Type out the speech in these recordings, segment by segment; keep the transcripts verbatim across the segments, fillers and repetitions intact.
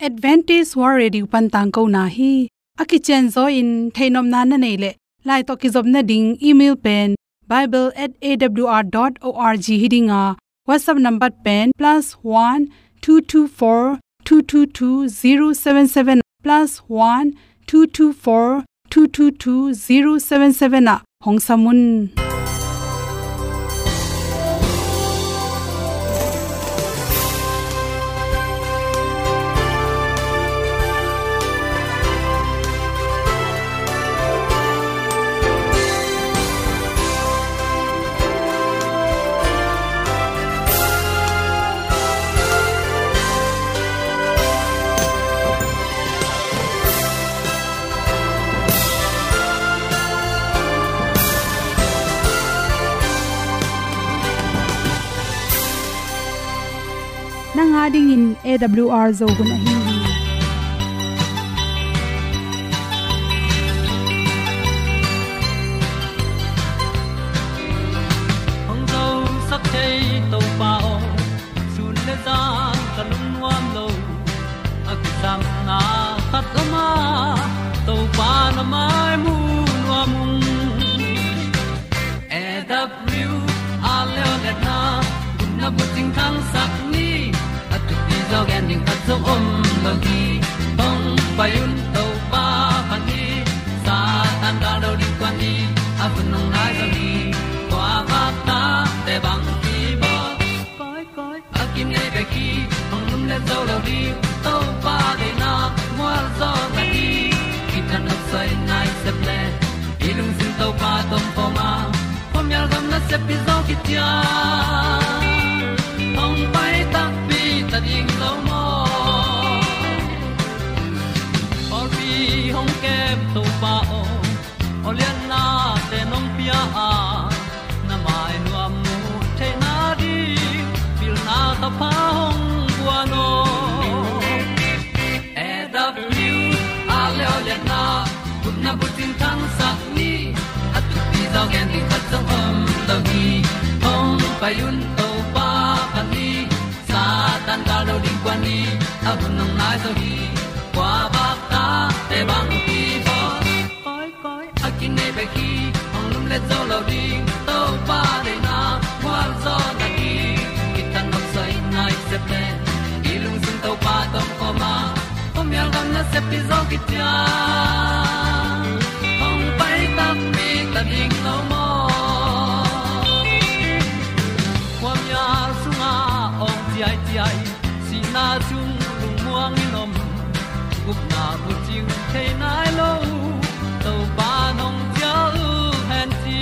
Adventist World Radio pan tangkona hi. A kicianzaw in theihnopna na neih leh, lai tawh kizopna ding email pen bible at A W R dot org hi ding a, WhatsApp number pen plus one two two four two two two zero seven seven, plus one two two four two two two zero seven seven ah hong sam un. Nang a dingin A W R Zo hun ahi hi. Hong zosak thei Topa aw, sun le zan ka lungnuam lo. A kisapna khat om a, Topa na mai mu nuam ung. A W R leo letna, gupna bucing thangsak ni. A thupi zaw gen ding khat zong om lo hi. Hong pai un Topa phat ni. Satan gal lo ding kuan ni. A hun hong nai zaw hi. Kua vakta te bang kibawl. Koi, koi, a kinei bek hi, hong lumlet zo lo ding. Topa deihna mual zaw na hi. Kithat nopsai nai sep le, i lungsim Topa tawh om khawm a, khuamial gam nasep hi zaw kician. Hong pai takpi ta ding lo maw? Pawlpi hong kem Topa aw, awlianna te nong pia a, na mai nuam mu theihna ding, pilna thapha hong guan aw. A W R leo letna, gupna bucing thangsak ni. A thupi zaw gen ding khat zong om lo hi. Hong pai un Topa phat ni. Satan gal lo ding kuan ni. A hun hong nai zaw hi. Kua vakta te bang kibawl. Koi, koi, a kinei bek hi, hong lumlet zo lo ding. Topa deihna mual zaw na hi. Kithat nopsai nai sep le, i lungsim Topa tawh om khawm a, khuamial gam nasep hi zaw kician. Hong pai takpi ta ding lo maw? Khuamial sungah awng ciaiciai, sihna sung lungmuang in om. Gupna bucing thei nai lo, Topa nong cial hen ci.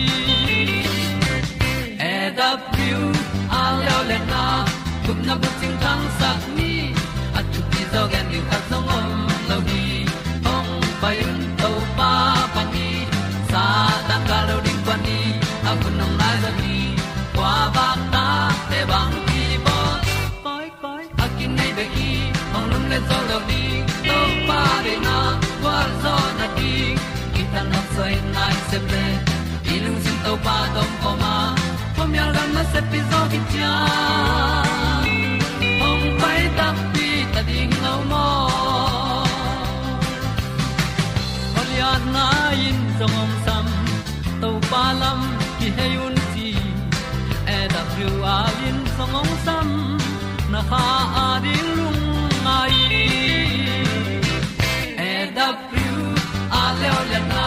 A W R leo letna, gupna bucing thangsak ni. A thupi zaw gen ding khat zong om lo hi. Hong pai un Topa phat ni. Satan gal lo ding kuan ni. A hun hong nai zaw hi. Kua vakta te bang kibawl. Koi, koi, a kinei bek hi, hong lumlet zo lo ding. Topa deihna gualzawhna ding, kithat nopsai nai sep le, i lungsim Topa tawh om khawm a, khuamial gam nasep hi zaw kician. Hong pai takpi ta ding lo maw? Awlianna in zong hong sam, Topa lam kihei un ci. A W R in zong hong sam, na kha a ding lungngai. A W R leo liatna,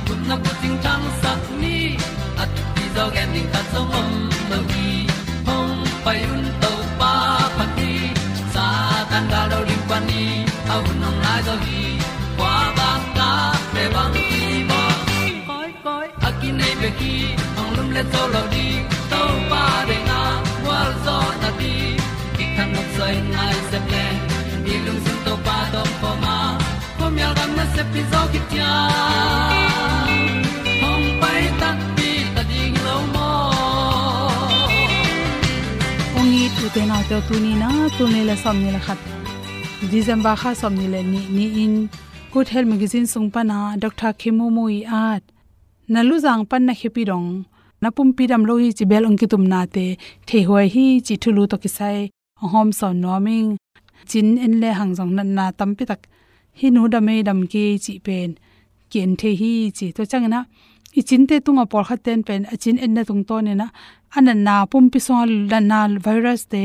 gupna bucing thangsak ni. A thupi zaw gen ding khat zong om lo hi. Hong pai un Topa phat ni. Satan gal lo ding pah ni. A hun hong nai zaw hi. Kua bang ta te bang hi baw. Koi koi a kinei bek hi, hong lumlet zo lo ding. Topa deihna gualzawhna ding, kithat nopsai nai sep le, i lungsim Topa tawh om khawm a, khuamial gam nasep hi zaw kician. Hong pai takpi ta ding lo maw? Hong it u te nau te, tuni na tul nih le sawmnih le khat, December kha sawmnih le nih ni-in Good Health Magazine sung pana Doctor Khemumu i at, na luzang pan na khepi dong, na pumpi dam lo hi ci bel hong kitumnate theihuai hi cih thulu tawh kisai hong hawmsawn nuam ing. Cin en le hang zong natna tampi tak, hih nu dam ei, dam kei cih pen ki-en thei hi ci. Tua ciangin ah i cinte tungah pawlkhat ten pen a cin enna tungtawnin ah a natna, pumpi sungah natna virus te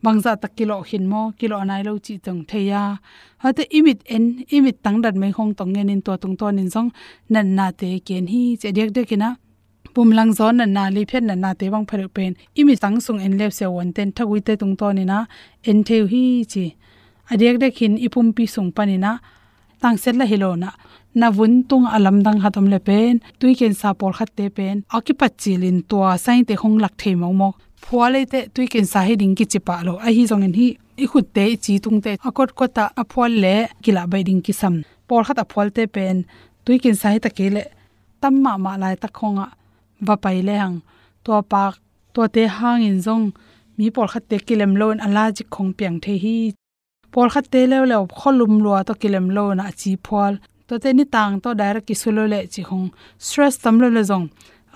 bangzah tak kilawh khin maw, kilawh nai lo cih tong thei a. Hate i mit en, i mit tang datmei khong tong ngenin tua tungtawnin zong natnate ki-en hi ci. A diakdiakin ah pumlangzaw natna, liphiat natnate bang phadeuh pen i mit tang sung en le uh siavuanten thaguite tungtawnin ah en thei uh hi ci. A diakdiakin i pumpi sung panin ah tangsiat lah hi lo-in ah, na vun tungah a lamdang khat om le pen, tui kensa pawlkhatte pen a kipat cilin tua sign te khong lak thei mawkmawk. Phual eite tui kensa hi ding kici pah lo, ahi zongin hih i khutte, i ci tungte a kotkot ah a phual le kilah baih ding kisam. Pawlkhat a phualte pen tui kensa hi ta kei leh tam mahmah laitak khongah va pai le hang, tua pak, tuate hangin zong mi pawlkhatte kilem loin allergic khong piang thei hi. Pawlkhatte leuleu khualum lua tawh kilem loin ah a ci phual, tuate nitang tawh direct kisu lo leh cih khong, stress tam lo le zong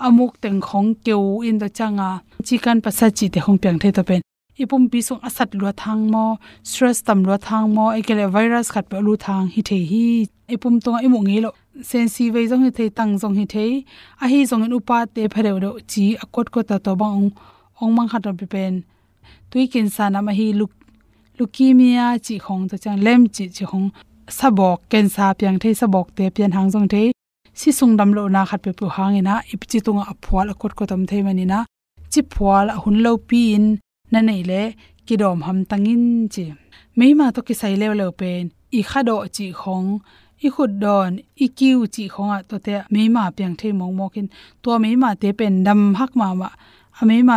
a muk teng khong keu in tua cianga cikan pasa cihte khong piang thei. Tua pen i pumpi sung a sat luat hang maw, stress tam luat hang maw, ei kei leh virus khatpeuh a lut hang hi thei hi. I pum tungah i muh ngei loh sensi vei zong hi thei, tang zong hi thei, ahi zongin upate phadeuhdeuh ci a kotkot ah tua bang ong, ong mang khat a pi pen tui kensa nam ahi leu-, leukemia cih khong, tua ciang lem cih, cih khong, sabawk kensa piang thei, sabawkte pian hang zong thei, si sung damlohna khat peuhpeuh hangin ah i ci tungah a phual a kotkot om thei manin ah, ci phual a hun lopi-in na neih leh kidawm hamtang in ci. Meima tawh kisai leuleu pen i khadawh cih khong, i khutdawn, i kiu cih khongah tuate ah meima piang thei mawkmawk in, tua meimate pen dam hak mahmah, a meima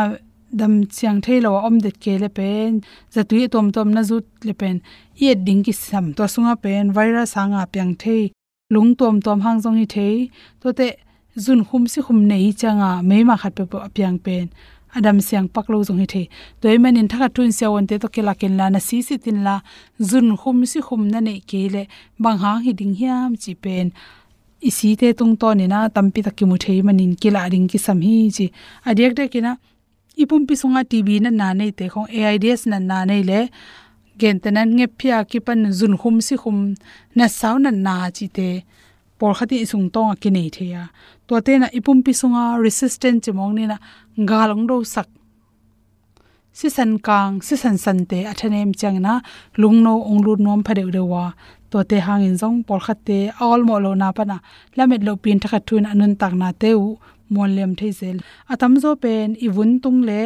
dam siang thei lo a om det kei le pen, zatui a tuamtuam na zut le pen i et ding kisam. Tua sungah pen virus hanga piang thei, lung tuamtuam hang zong hi thei, tuate zunkhum sikhum nei cianga meima khat peuhpeuh a piang pen a dam siang pak lo zong hi thei. Tua ahih manin thakhat thu-in siavuante tawh kilak inla, na sisit inla, zunkhum sikhum na neih kei leh bang hang hi ding hiam cih pen i site tungtawnin ah tampi tak kimu thei manin kilah ding kisam hi ci. A diakdiakin ah i pumpi sungah T B natna neite khong, AIDS natna nei le, gentehna in ngephia kipan zunkhum sikhum, nasau natna cihte pawlkhat in i sungtawngah kinei thei a. Tuate in ah i pumpi sungah resistant ci mawk ni-in ah gal ong dosak, sisan kang, sisan sante a thanem ciangin ah lungno ong lut nuam phadeuhdeuh a, tuate hangin zong pawlkhatte a awlmawh lohna panah lamet lohpi-in thakhat thu-in a nuntaknate uh muanliam thei zel. A tamzaw pen i vun tung le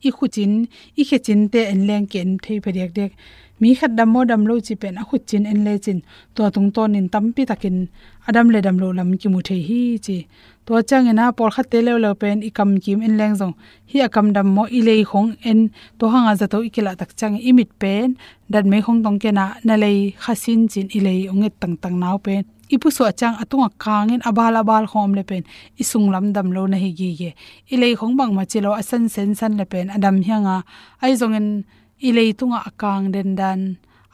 i khucin, i khecinte en leng ki-en thei phadiakdiak. Mi khat dam maw dam lo cih pen a khucin en lecin tua tungtawnin tampi takin a dam le dam loh lam kimu thei hi ci. Tua ciangin ah pawlkhatte leuleu pen i kamkim en leng zong, hih a kam dam maw, i lei khong en, tua hanga zato i kilah tak ciangin i mit pen datmei khong tong ken ah na lei khasin ci-in i lei ong et tangtang nau pen i pusuah ciang a tungah kangin a bal a bal khong om le pen i sunglam dam lo na hi gige. I lei khong bangmah ci lo a san sensan le pen a dam hi hang a, ahi zongin i lei tungah a kang dendan,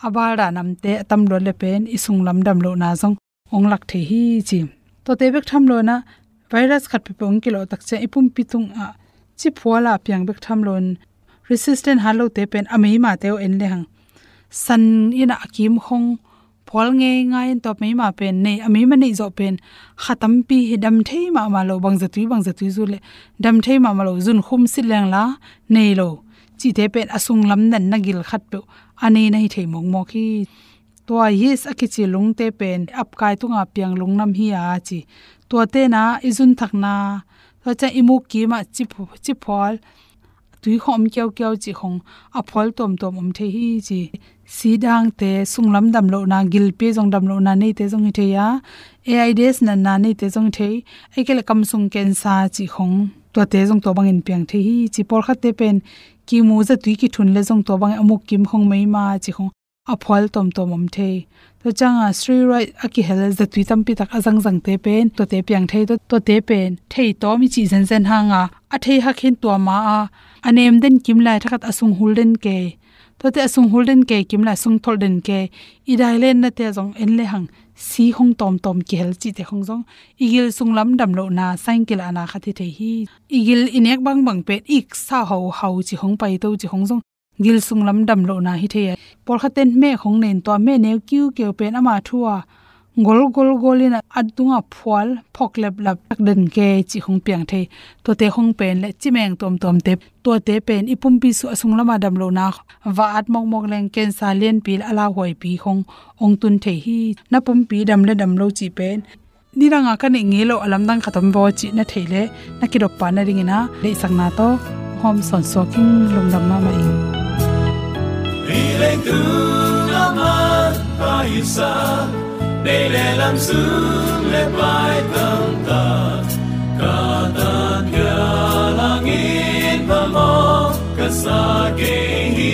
a bal dan amte a tam luat le pen i sunglam dam lohna zong ong lak thei hi ci. Tuate bek tham loin ah virus khat peuhpeuh ong kilawh tak ciang i pumpi tungah ci phual a piang bek tham loin resistant hat lote pen a meimate uh en le hang, san in ah a kim khong phual ngeingai in, tua meima pen nei, a meima neih zawh pen kha tampi hi, dam thei mahmah lo, bangzatui bangzatui zut le dam thei mahmah lo, zunkhum sit leng la nei lo cihte pen a sunglam natna gil khatpeuh a nei na hi thei mawkmawk hi. Tua yeast a kici lungte pen apkai tunga piang lungnam hi a ci. Tuate in ah i zunthakna, tua ciang i muk kimah ci phu-, ci phual, tui khong om kiaukiau cih khong a phual tuamtuam om thei hi ci. Sidangte, sunglam dam lohna, gilpi zong dam lohna neite zong hi thei a, AIDS natna neite zong hi thei, ei kei le kamsung cancer cih khong, tuate zong tua bangin piang thei hi ci. Pawlkhatte pen kimu zatui kithun le zong tua bangin a muk kim khong meima cih khong a phual tuamtuam om thei. Tua cianga steroid a kihel zatui tampi tak a zangzangte pen tuate piang thei. Tua, tuate pen thei tawm i cih zenzen hanga a thei hak hin tua ma a, a nem den kim lai thakhat a sung hul den kei. Tuate a sung hul den kei kim lai sung tholh den kei. I dailenna te zong en le hang si khong tawmtawm kihel cihte khong zong i gil sunglam dam lohna sign kilahna khat hi thei hi. I gil i nek bangbang pen ik sa hauhau cih khong, paito cih khong zong gil sunglam damlohna hi thei a. Pawlkhat ten hmeh khong nei in tua hmeh neu kiukiu pen ama thu a gol gol gol in a tungah phual phok leplap tak den kei cih khong piang thei. Tuate khong pen le cimeng tuamtuamte, tuate pen i pumpi sung a sunglamah damlohna va at mawkmawk leng cancer lianpi le a lauhuaipi khong hong tun thei hi. Na pumpi dam le dam lo cih pen nidanga ka neih ngei lo a lamdang khat om vaw cih na theih leh na kidoppa nadingin a deihsakna tawh hawm sawnsuak ing. Lungdam mahmah ing. Hi leitung a man pha hisa, nei le lam sung le pai tamtak, ka tatpia langin phamawh ka sa kei hi.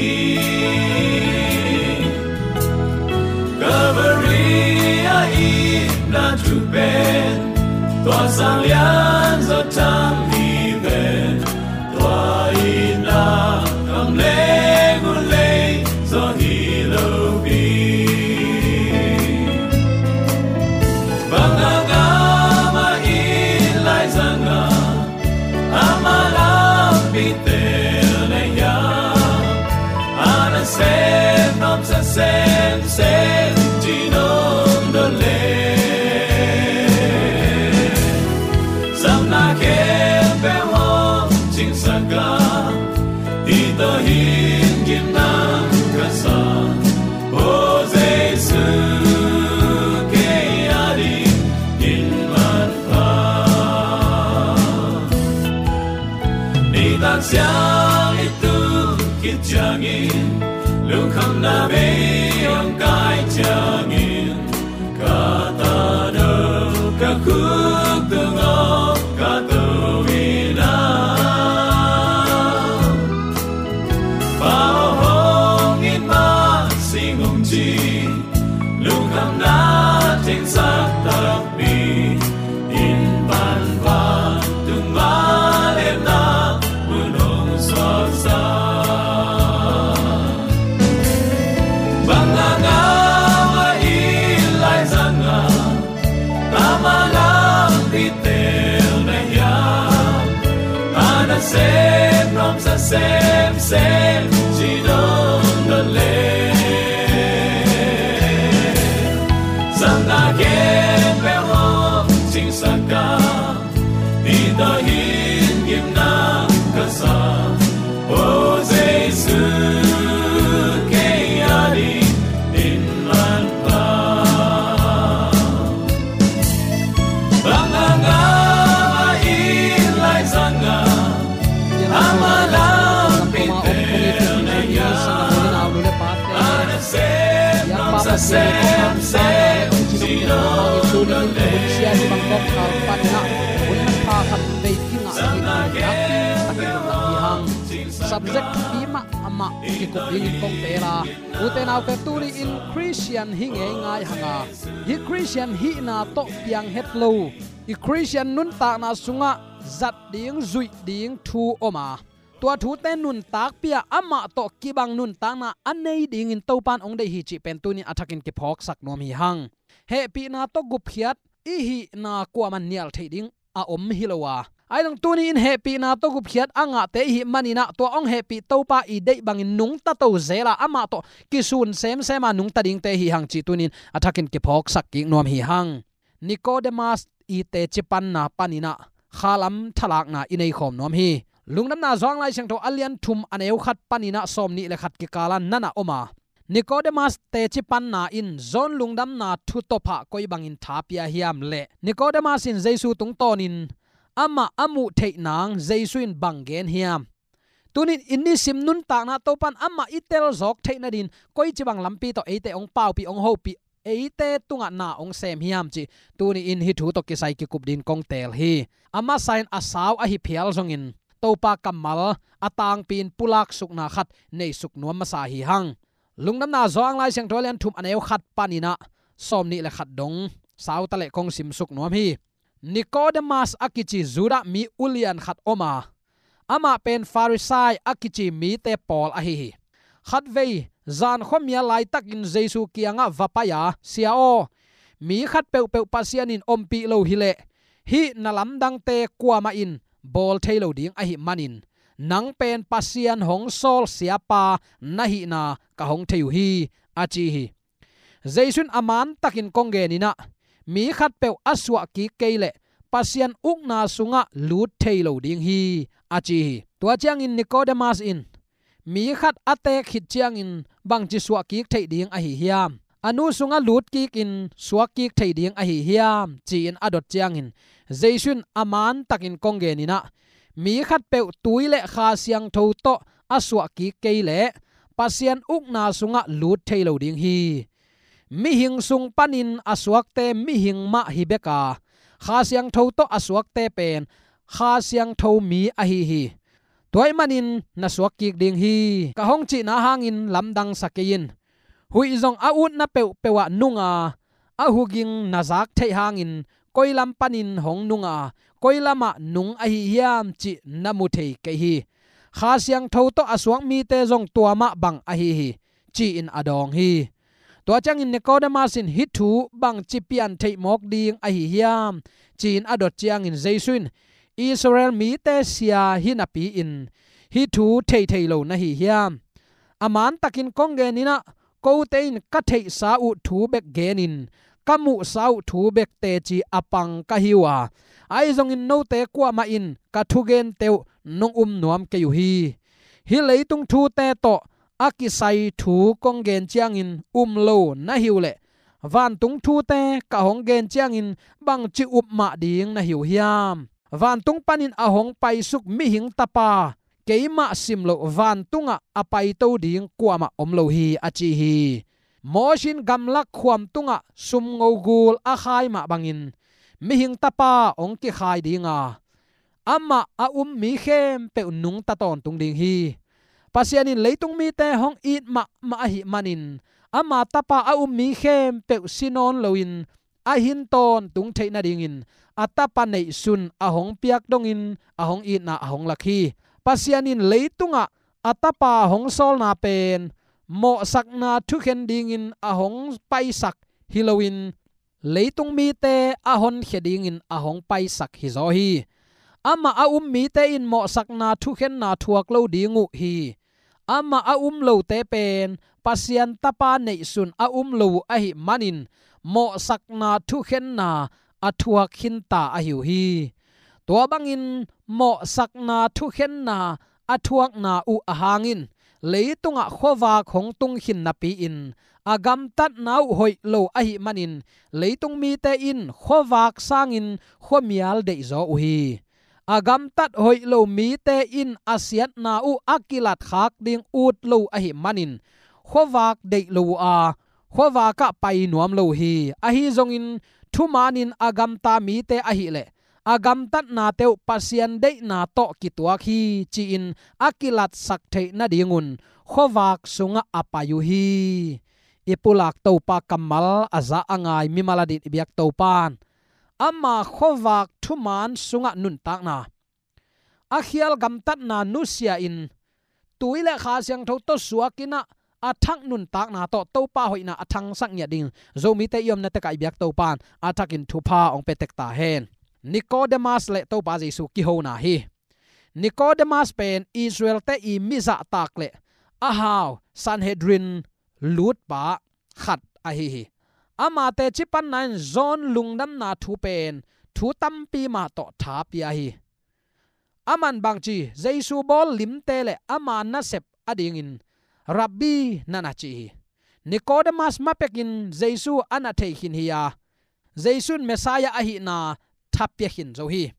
Calvary a itna thu pen, tua sang lian zaw thang hi pen, tua itna kam leng uh lei zaw hi lo pi. Bang a ngam a it lai zang a, ama lampi tel na hiam, a nasem nuamsa semsem ci nong dot leh, zamna khempeuh hong cingsak a, hih tawh hin gimna ka sa, aw Jesu, kei a dingin manpha. Nitak siang i tung khit ciangin, lungkhamna bei hong kai ciangin, ka tano ka khuk tungah ka to in a, Pa aw hong it mah sing hong ci, lungkhamna tengsak takpi in pan vantung mah lemna mun hong suaksak. Bang a ngam a it lai zang a, ama lampi tel na hiam, a nasem nuamsa semsem ci nong dot leh, zamna khempeuh hong cingsak a, hih tawh hin gimna ka sa, aw Jesu, kei a dingin manpha. Bang a ngam a it lai zang a, ama lampi tel na hiam, a nasem nuamsa semsem ci nong dot leh, Subject thupi mahmah kikup dingin kong teel a, ute naute, tuni-in Khristian hi ngeingai hang a, hih Khristian hihna tawh piang het lo, i Khristian nuntakna sungah zat ding, zuih ding thu om a, tua thute nuntakpih a, amah tawh kibang nuntakna a nei dingin Topa'n hong deih hi cih pen tuni-in a thakin kiphawksak nuam hi hang. Hehpihna tawh gupkhiat i hihna kuamah in nial theih ding a om hi lo a, ahi zong tuni-in hehpihna tawh gupkhiat a ngahte i hih manin ah, tua hong hehpih Topa i deih bangin nungta to zel a, amah tawh kisun semsem a nungta dingte hi hang cih tuni-in a thakin kiphawksak kik nuam hi hang. Nikodemas i teci panna panin ah khalam thalakna i neikhawm nuam hi. Lungdamna Johan Lai Siangtho a lian thum, a neu khat panin ah sawmnih le khat kikal ah na na om a, Nikodemas teci panna in John lungdamna thu tawpah koi bangin tha pia hiam leh, Nikodemas in Jesu tungtawnin amah a muh theih nang Jesu in bang gen hiam? Tuni-in i nisim nuntakna Topa'n amah i tel zawk theih nadingin koici bang lampi tawh eite hong paupih, hong hopih, eite tungah na hong sem hiam cih tuni-in hih thu tawh kisai kikup dingin kong teel hi. A masa-in a sau ahi phial zongin Topa kammal a tangpi-in pulaksukna khat neisuk nuam masa hi hang. Lungdamna Johan Lai Siangtho a lian thum, a neu khat panin ah sawmnih le khat dong sau ta leh kong simsuk nuam hi. Nikodemas a kici Judah mi ulian khat om a, amah pen Farisai a kici mite pawl ahi hi. Khatvei zan khuamial laitakin Jesu kiangah va pai a, "Sia aw, mi khat peuhpeuh Pasian in ompih lo hi leh, hih na lamdangte kuamah in bawl thei lo ding ahih manin, nang pen Pasian hong sawl siapa na hihna ka hong thei uh hi, a ci hi. Jesu in a mantakin kong genin ah, mi khatpeuh a suah kik kei leh Pasian ukna sungah lut thei lo ding hi, a ci hi. Tua ciangin Nikodemas in, mi khat a teek khit ciangin bangci suah kik theih ding ahi hiam? A nu sungah lut kikin suak kik thei ding ahi hiam? Ci-in a dot ciangin Jesu in a mantakin kong genin ah, mi khatpeuh tui le Kha Siangtho tawh a suah kik kei leh Pasian ukna sungah lut thei lo ding hi. Mihing sung panin a suakte mihing mah hi bek a, Kha Siangtho tawh a suakte pen Kha Siangtho mi ahi hi. Tua ahih manin na suak kik ding hi, ka hong cihna hangin lamdang sa kei in. Huih zong a utna peuhpeuh ah nung a, a huging na zak theih hangin koi lam panin hong nung a, koi lamah nung ahi hiam cih na mu thei kei hi. Kha Siangtho tawh a suak mite zong tua mah bang ahi hi, ci-in a dawng hi. Tua ciangin Nikodemas in, hih thu bangci pian theih mawk ding ahi hiam? Ci-in a dot ciangin Jesu in, Israel mite sia hi napi-in hih thu thei thei lo na hi hiam? A mantakin kong genin ah, kote in ka theihsa uh thu bek genin ka muhsa uh thu bek teci a pang ka hi uh a, ahi zongin note kuamah in ka thugente uh nong um nuam kei uh hi. Hih leitung thute tawh a kisai thu kong gen ciangin um lo na hi uh leh, vantung thute ka hong gen ciangin bangci up mah ding na hi uh hiam? Vantung panin a hong paisuk mihing Tapa, keimah sim loh vantungah a paito ding kuamah om lo hi, a ci hi. Mosi in gamlak khuam tungah sumngo gul a khai mah bangin mihing Tapa hong kikhai ding a, amah a um mi khempeuh nungta tawntung ding hi. Pasian in leitung mite hong it mahmah ahih manin ama Tapa a um mi khempeuh si nawn loin a hin tawntung theih nadingin a Tapa neihsun a hong piak dongin a hong itna a hong lak hi. Pasian in leitungah a Tapa hong sawlna pen mawhsakna thukhen dingin a hong paisak hi loin, leitung mite a honkhia dingin a hong paisak hi zaw hi. Amah a um mite in mawhsakna thukhenna thuak lo ding uh hi. Amah a um lote pen Pasian Tapa neihsun a um lo uh ahih manin mawhsakna thukhenna a thuak khinta ahi uh hi. Tua bangin mawhsakna thukhenna a thuakna uh ahang in leitungah khuavak hong tung khin napi-in a gamtatna uh hoih lo ahih manin leitung mite in khuavak sangin khuamial deihzaw uh hi. A gamtat hoih lo mite in a siatna uh a kilatkhak ding ut lo ahih manin khuavak deih lo uh a, khuavakah pai nuam lo uh hi. Ahi zongin thumanin a gamta mite ahileh a gamtatnate uh Pasian deihna tawh kituak hi ci-in a kilatsak theih nadingun khuavak sungah a pai uh hi. I pulak Topa kammal a za a ngai mimal a dit i biak Topa'n ama khuavak thuman sungah nuntakna, a khial gamtatna nusia in tui le Kha Siangtho tawh suakin ah a thak nuntakna tawh Topa hoihna a thangsak ngiat dingin Zomite i omna tekah i biak Topa'n a thakin thupha hong pia tek ta hen. Nikodemas le Topa Jesu kihona hi. Nikodemas pen Israelte i mi zahtak le a hau Sanhedrin lutpa khat ahi hi. Ama teci panna in John lungdamna thu pen thu tampi mah tawh tha pia hi. Aman bangci Jesu bawl limte le ama nasep adingin Rabbi na na ci hi. Nikodemas mapekin Jesu a na thei khin hi a, Jesu in Messiah ahihna tha pia khin zo hi.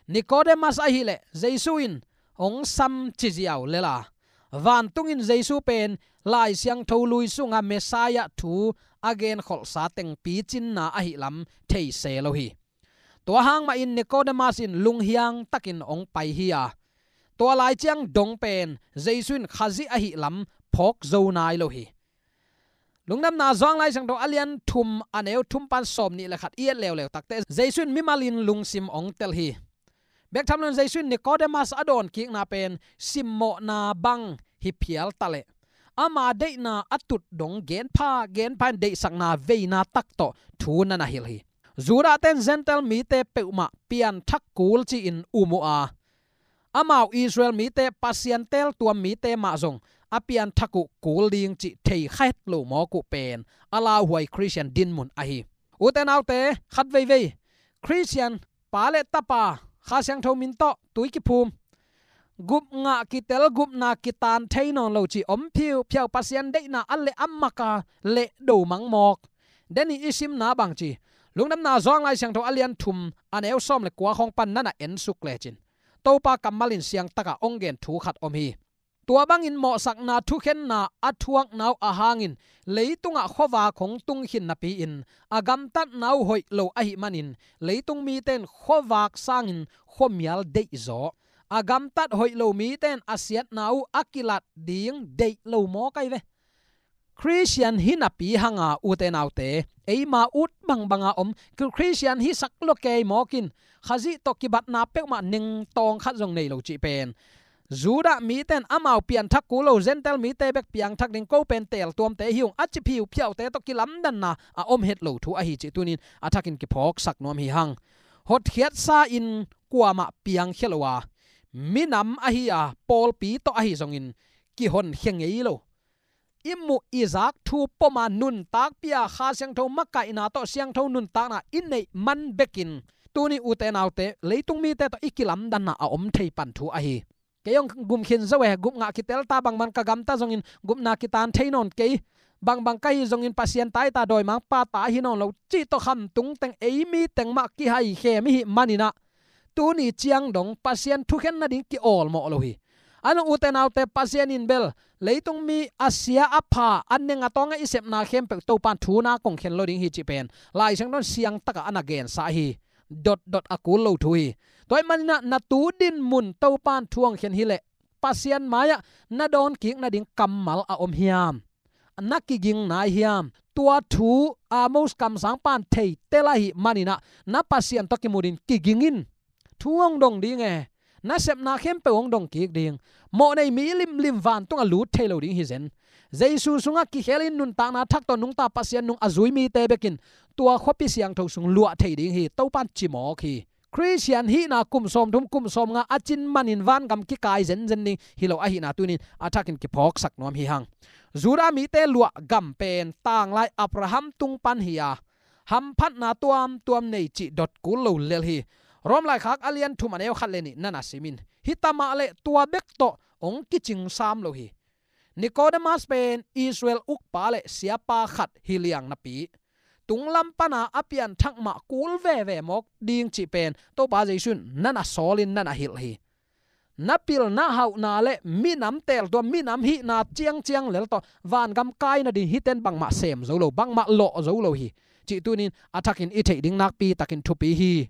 Nikodemas ahileh Jesu in hong sam ci ziau lela, vantungin Jesu pen Lai Siangtho lui sunga Messiah thu a genkholhsa teng picinna ahihlam thei se lo hi. Tua hang mahin Nikodemas in lunghiang takin hong pai hi a, tua lai ciang dong pen Jesu in Khazih ahihlam phawk zo nai lo hi. Lungdamna Johan Lai Siangtho a lian thum a neu thum pan sawm nih le khat i et leuleu takte Jesu in mimal in lungsim hong tel hi. Bek tham loin Jesu in Nikodemas a dawnkikna pen simmawhna bang hi phial taleh ama deihna a tut dong genpha genpha in deihsakna veina tak tawh thu na na hilh hi. Judah ten Gentile mite peuhmah pianthak kul ci-in um uh a, amau Israel mite Pasian teltuam mite mah zong a pianthak uh kul ding cih thei kha het lo mawk uh pen a lauhuai Khristian dinmun ahi. Ute naute, khat veivei Khristian pa le tapa Kha Siangtho min tawh tui kiphum, gupngah kitel, gupna kitan thei nawn lo cih om phiuphiau, Pasian deihna a leh a maka leh do mangmawk. Denin i simna bang ci, Lungdamna Zuang Lai Siangtho a lian thum a neu sawm le kua khawng pan nana ensuk lecin Topa kammal in siangtaka hong gen thu khat om hi. Tua bangin mawhsakna thukhenna a thuakna uh a hangin leitungah khuavak hong tung khin napi-in a gamtatna uh hoih lo ahih manin leitung mite in khuavak sangin khuamial deihzaw, a gamtat hoih lo mite in a siatna uh a kilat ding deih lo mawk ahi ve. Khristian hi napi hanga ute naute, eima ut bangbanga om Khristian hi sak lua kei mawkin Khazih tawh kibatna peuhmah nengtawng khat zong nei lo cih pen Judah mite in amau pianthak kul lo, Gentile mite bek piangthak ding, ko pen teltuamte hi ung a ci phiuphiaute tawh kilamdanna a om het lo thu ahi cih tunin a thakin kiphawksak nuam hi hang. Hotkhiatsa in kuamah piangkhia lo a, minam ahi a, pawlpi tawh ahi zongin kihonkhia ngei lo. I muh i zak thu poma nuntakpia Kha Siangtho makaihna tawh siangtho nuntakna i neih man bekin tuni ute naute leitung mite tawh i kilamdanna a om thei pan thu ahi. Kei hong gum khin zo e, gupngah kitel ta, bangbang ka gamta zongin gupna kitan thei nawn kei, bangbang ka hi zongin Pasian ta hi ta, dawimangpa ta hi nawn lo cih tawh khamtung teng ei mi teng mah kihaikhem i hih maninah tuni ciang dong Pasian thukhen nading kiawlmawh lo hi. A nung ute naute, Pasian in bel leitung mi a sia a pha a neng a tawng a i sepna khempeuh Topan thu na kong khen lo ding hi cih pen Lai Siangtho in siangtaka a na gensa hi. Dotdot a kul lo thu hi. Tua ahih maninah na tu dinmun Topan thu hong khen hileh Pasian mai-ah na dawn kik nading kammal a om hiam? Na kiging nai hiam? Tua thu Amos kamsangpa in thei tel ahih maninah na Pasian tawh kimu dingin kiging in. Thu hong dong ding e. Na sepna khempeuh hong dong kik ding. Mawhnei mi limlim vantungah lut thei lo ding hi zen. Jesu sungah kikhelin nuntakna thak tawh nungta Pasian nung a zui mite bekin tua khuapi siangtho sung luah thei ding hi. Topan ci mawk hi. Khristian hihna kum sawmthum kum sawmnga a cin manin vangam kikai zenzen ding hi lo ahihna tunin a thakin kiphawksak nuam hi hang. Judah mite luah gam pen tanglai Abraham tung pan hi a, hamphatna tuamtuam nei cih dot kul lo lel hi. Rom laikhak a lian thum a neu khat le nih nana simin hita mah le tua bek tawh hong kicing sam lo hi. Nikodemas pen Israel ukpa le siapa khat hi liang napi, tunglam pana a pianthak mah kul veve mawk ding cih pen Topa Jesu in nana sawlin nana hilh hi. Na pilna hauhna le minam teltuam, minam hihna ciangciang lel tawh vangam kai nading hiten bangmah sem zo lo, bangmah lawh zo lo hi cih tunin a thakin i theih ding nakpi takin thupi hi.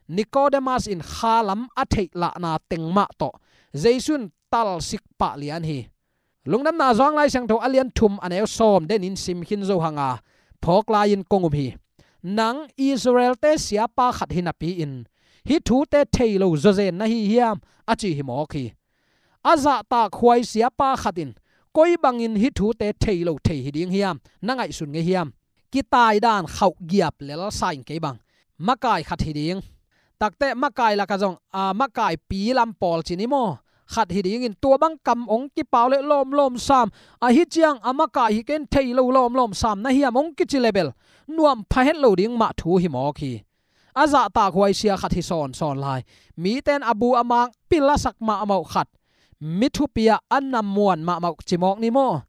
Nikodemas in khalam a theih lahna teng mah tawh Jesu in talsik pah lian hi. Lungdamna Zuang Lai Siangtho a lian thum a neu sawm denin sim khin zo hanga phawk lai-in kong um hi. Nang Israel-te siapa khat hi napi-in hih thute thei lo zawzen na hi hiam? A ci hi mawk hi. A zahtak huai siapa khat in koi bangin hih thute thei lo thei hi ding hiam? Na ngaihsun ngei hiam? Kitai dan khauh giap lel sa in kei bang. Makai khat hi ding. Takte makai lakah zong a makaipi lam pawl ci ni maw? Khat hi dingin tua bang kam hong kipau le lawmlawm sam. Ahi ciang a makai hi ken thei lo lawmlawm sam na hiam hong kici le bel nuam pha het lo ding mah thu hi mawk hi. A zahtak huai sia khat hi sawnsawn lai. Mite in a bu a mang pil a sak mahmah khat, mi thupi-ah a na muan mahmah ci mawk ni maw?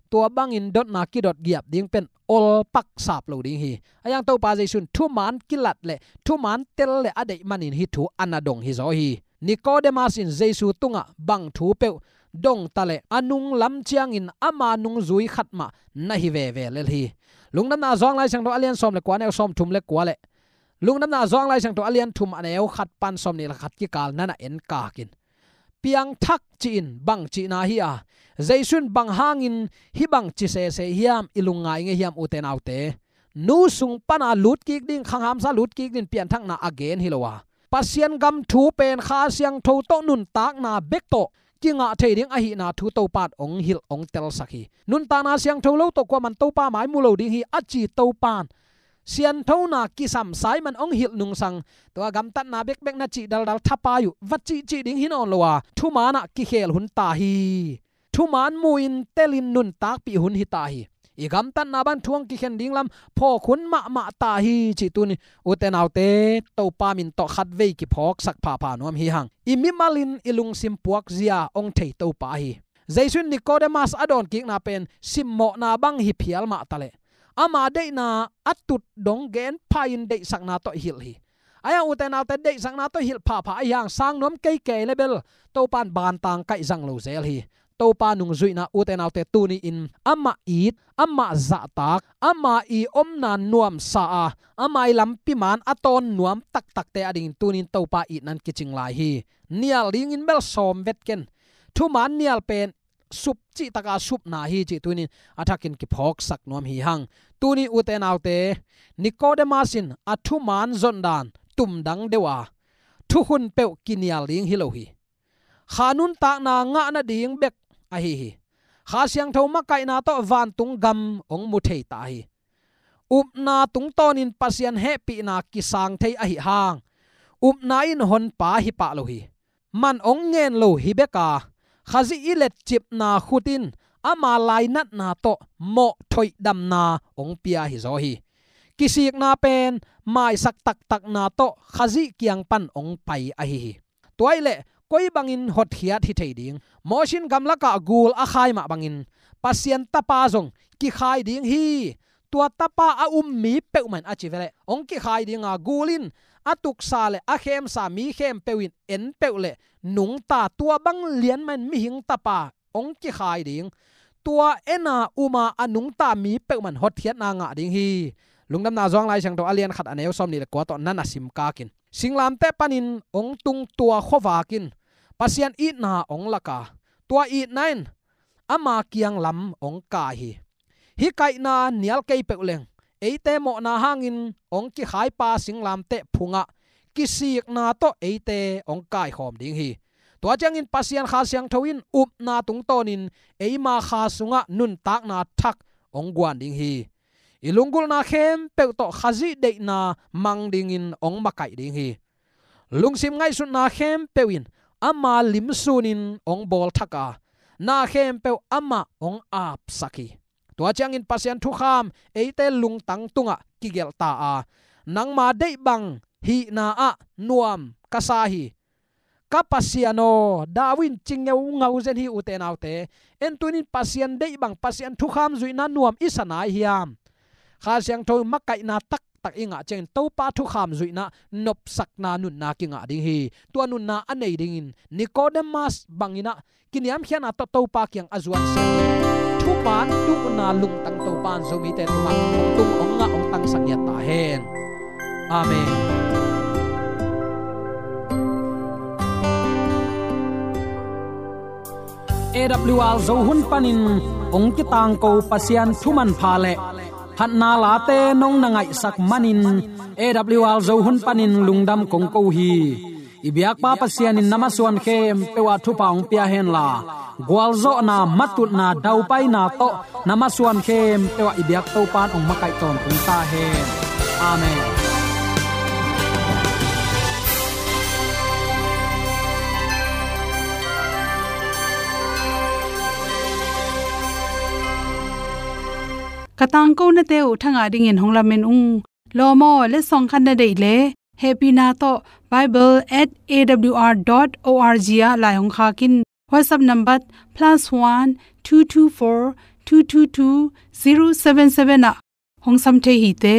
Tua bangin dotna kidot giap ding pen olpak sap lo ding hi. A yang Topa Jesu in thuman kilat le thuman tel le a deih manin hih thu a na dong hi zaw hi. Nikodemas in Jesu tungah bang thu peuh dong ta le a nung lam ciangin ama nungzui khat mah na hi veve lel hi. Lungdamna Zuang Lai Siangtho a lian sawm le kua, neu sawm thum le kua le Lungdamna Zuang Lai Siangtho a lian thum a neu khat pan sawm nih le khat kikal nana en kakin piangthak ci-in bang cihna hi a, Jesu in bang hangin hih bang ci sese hiam i lungngai ngei hiam ute naute? Nu sung pana lut kik ding, khanghamsa lut kik ding pianthakna a gen hi lo a, Pasian gam thu pen Kha Siangtho tawh nuntakna bek tawh kingah thei ding ahihna thu Topa in hong hilh hong telsak hi. Nuntakna siangtho lo tawh kuaman Topa mai mu lo ding hi a ci Topa in sianthona kisam Simon hong hilh nungsang, tua gamtatna bekbek na cih daldal thapai uh, va cihcih ding hi nawn lo a, thumanah kikhel hun ta hi. Thuman mu-in telin nuntakpih hun hi ta hi. I gamtatna bang thu hong kikhen ding lam phawk hun mahmah ta hi, cih tuni ute naute Topa min tawh khatvei kiphawksak phapha nuam hi hang. I mimalin i lungsim puakzia hong thei Topa hi. Jesu in Nikodemas a dawnkikna pen simmawhna bang hi phial mah taleh, ama deihna a tut dong gen pha-in deihsakna tawh hilh hi. Ahi hang ute naute, deihsakna tawh hilh phapha ahi hang sang nuam kei kei le bel Topa in bantang kaih zang lo zel hi. Topa nungzuihna ute naute tuni-in amah it, amah zahtak, ama i omna nuamsa a, ama i lampi man a tawn nuam taktakte a dingin tuni-in Topa itna in kicing lai hi. Nial dingin bel sawm vet ken. Thuman nial pen sup cih taka supna hi cih tuni-in a thakin kiphawksak nuam hi hang. Tuni ute naute, Nikodemas in a thuman zondan tumdang deuh a, thukhun peuh kinial ding hi lo hi. Kha nuntakna ngah nading bek ahi hi. Kha Siangtho makaihna tawh vantung gam hong mu thei ta hi. Upna tungtawnin Pasian hehpihna kisang thei ahi hang, upna in honpa hi pah lo hi. Man hong ngen lo hi bek a, Khazih i letcipna khut in ama lainatna tawh mawh thoihdamna hong pia hi zaw hi. Kisikna pen maisak taktakna tawh Khazih kiang pan hong pai ahi hi. Tua ahih leh koi bangin hotkhiat hi thei ding? Moses in gamlakah gul a khai mah bangin Pasian Tapa zong kikhai ding hi. Tua Tapa a um mi peuhmah in a ci veleh hong kikhai ding a, gul in a tuksa le a khemsa mi khempeuh in en peuh le nungta, tua bang lian mah in mihing Tapa hong kikhai ding. Tua en a um a a nungta mi peuhmah in hotkhiatna ngah ding hi. Lungdamna Johan Lai Siangtho a lian khat a neu sawmnih le kua tawh na na sim kak in, singlamteh panin hong tung tua khuavak in Pasian itna hong lak a, tua itna in ama kiang lam hong kai hi. Hih kaihna nial kei peuh leng, eite mawhna hangin hong kikhaipa singlamteh phungah kisikna tawh eite hong kaikhawm ding hi. Tua ciangin Pasian Kha Siangtho in upna tungtawnin eima kha sungah nuntakna thak hong guan ding hi. I lunggulhna khempeuh tawh Khazih deihna mang dingin hong makaih ding hi. Lungsim ngaihsutna khempeuh in ama lim sunin hong bawl thak a, na khempeuh amah hong apsak hi. Tua ciangin Pasian thukham eite lungtang tungah kigelh ta a, nangma deih bang hihna ah nuam ka sa hi. Ka Pasian aw, David in ci ngeungau zen hi ute naute. En tuni-in Pasian deih bang, Pasian thukham zuihna nuam i sa nai hiam? Kha Siangtho makaihna taktak i ngah ciangin Topa thukham zuihna nopsakna nunna kingah ding hi. Tua nunna a nei dingin Nikodemas bangin ah kiniamkhiatna tawh Topa kiang a zuan seh. Thuman tuhna lungtang Topa in Zomite tungah hong tung, hong ngah, hong tangsak ngiat ta hen. Amen. A W R Zo hun panin hong kitangko Pasian thu manpha le phatna late nong na ngaihsak manin A W R Zo hun panin lungdam kong ko hi. I biakpa Pasian in na masuan khempeuh ah thupha hong pia henla, gualzawhna, matutna, daupaina tawh na masuan khempeuh ah i biak Topa in hong makaih tawntung ta hen. Amen. Ka tangkonate uh thangah dingin hong lamen ung. Lawm aw, letsong khat na deih leh hehpihna tawh bible at A W R dot O R G ah lai hong khak in. WhatsApp number plus one two two four two two two zero seven seven ah hong sam thei hi te.